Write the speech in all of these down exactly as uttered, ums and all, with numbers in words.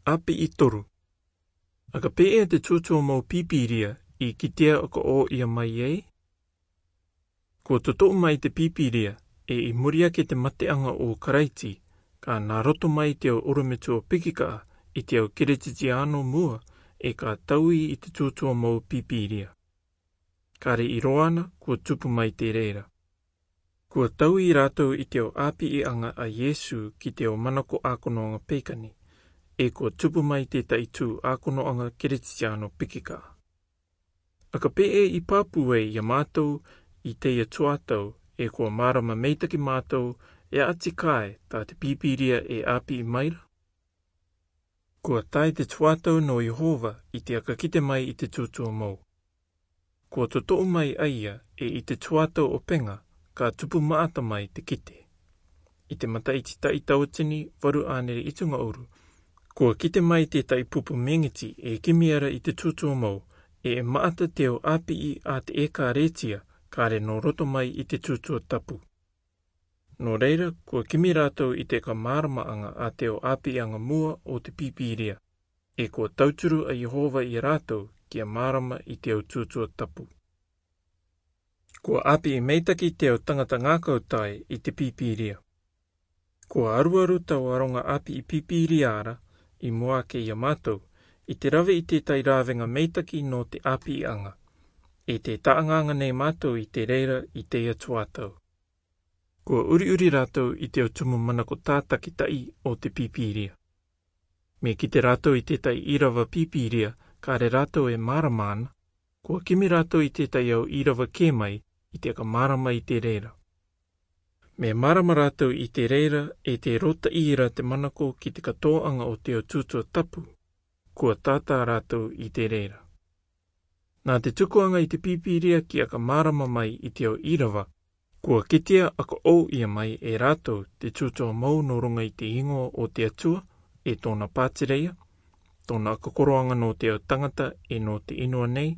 ʻĀpiʻi toru. ʻA ka pē ʻe te tūtū mau pīpīria i kitea ʻa ka ʻoʻoʻia mai ei? Kua totoʻo mai te pīpīria, ʻe i muri ake te mateʻaga ʻo Karaiti, ka nā roto mai te au ʻorometua pikikaʻa i te au Keretitiano mua, ʻe ka taui i te tūtū mau pīpīria. Ka re ʻiroa na, kua tupu mai te reira. Kua taui rātou i te au ʻāpiʻiʻaga a Iesu ki te au manako ʻākonoaga peikani, ʻe kua tupu mai te taʻitū ʻākonoaga Keretitiano pikikaʻa. ʻA ka pē ʻe i pāpū ei ia mātou i teie tuatau, ʻe kua mārama meitaki mātou, ʻe ʻati kāe tā te pīpīria e ʻāpiʻi mai ra? Kua tae te tuatau nō Iehova i te aka kite mai i te tūtū mau. Kua totoʻo mai ʻa ia ʻe i te tuatau ʻo Pega, ka tupu maʻata mai te kite. I te mataʻiti taʻi tauatini varu ʻānere i tuga ʻuru, kua kite mai te taʻi pupu megiti e kimi ara i te tūtū mau, ʻe e maʻata te au ʻāpiʻi a te ʻēkālesia, ka re nō roto mai i te tūtū tapu. Nō reira, kua kimi rātou i te ka māramaʻaga a te au ʻāpiʻiʻaga mua o te pīpīria, ʻe kua tauturu ʻa Iehova ia rātou kia mārama i te au tūtū tapu. Kua ʻāpiʻi meitaki te au tagata gākautai i te pīpīria. Kua aruaru taua roga ʻāpiʻi pīpīria ra i mua ake ia mātou, i te rave i te taʻi rāvega meitaki nō te ʻāpiʻiʻaga, ʻe te taʻaga nei mātou i te reira i teie tuatau. Kua ʻuriʻuri rātou i te au tumu manako tātakitaʻi o te pīpīria. Me kite rātou i te taʻi ʻīrava pīpīria, ka re rātou e mārama ana, kua kimi rātou i te taʻi au ʻīrava kē mai i te aka mārama i te reira. Me mārama rātou i te reira, ʻe te rotaʻi ra te manako ki te katoaʻaga o te au tūtū tapu, kua tātā rātou i te reira. Nā te tukuʻaga i te pīpīria ki aka mārama mai i te au ʻīrava, kua kitea ʻa ka ʻoʻoʻia mai e rātou te tūtū mau nō roga i te higoa o te Atua, ʻe tōna pātireia, tōna aka koroaga nō te au tagata ʻe nō te inua nei,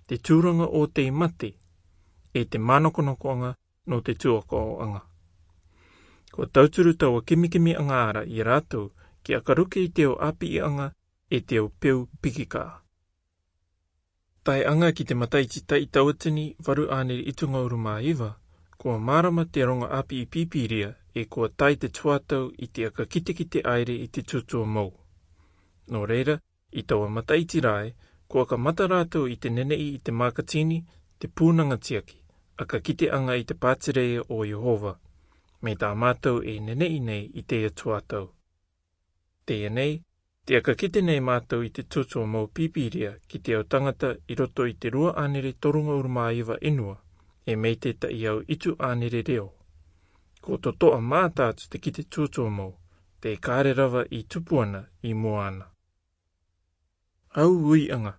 te tūraga o te mate, ʻe te mānakonakoʻaga nō te tuakōʻaga. Kua tauturu taua kimikimiʻaga ra ia rātou ki aka ruke i te au ʻāpiʻiʻaga ʻe te au peu pikikaʻa. Taeʻaga ki te mataʻiti taʻi tauatini varu ʻānere i tuga ʻuru mā iva, kua mārama te roga ʻāpiʻi pīpīria ʻe kua tae te tuatau i te aka kitekite ʻaere i te tūtū mau. Nō reira, i taua mataʻiti ra ē, kua aka mata rātou i te neneʻi i te makatini, te pūnaga tiaki, aka kiteʻaga i te pātireia o Iehova, me tā mātou e neneʻi nei i teie tuatau. Teie nei, te aka kite nei mātou i te tūtū mau pīpīria ki te au tagata i roto i te rua ʻānere toru ʻuru mā iva inua, ʻe mai te taʻi au itu ʻānere reo. Kua totoʻa maʻata atu te kite tūtū mau, te kare rava i tupu ana i mua ana. Au uiʻaga.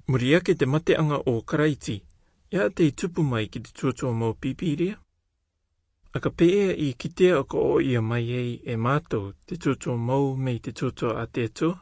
Muri ake te mateʻaga o Karaiti, ʻe ʻa tei tupu mai ki te tūtū mau pīpīria? ʻA ka pē ʻe i kitea ʻa ka ʻoʻoʻia mai ei e mātou te tūtū mau mai te tūtū a te Atua,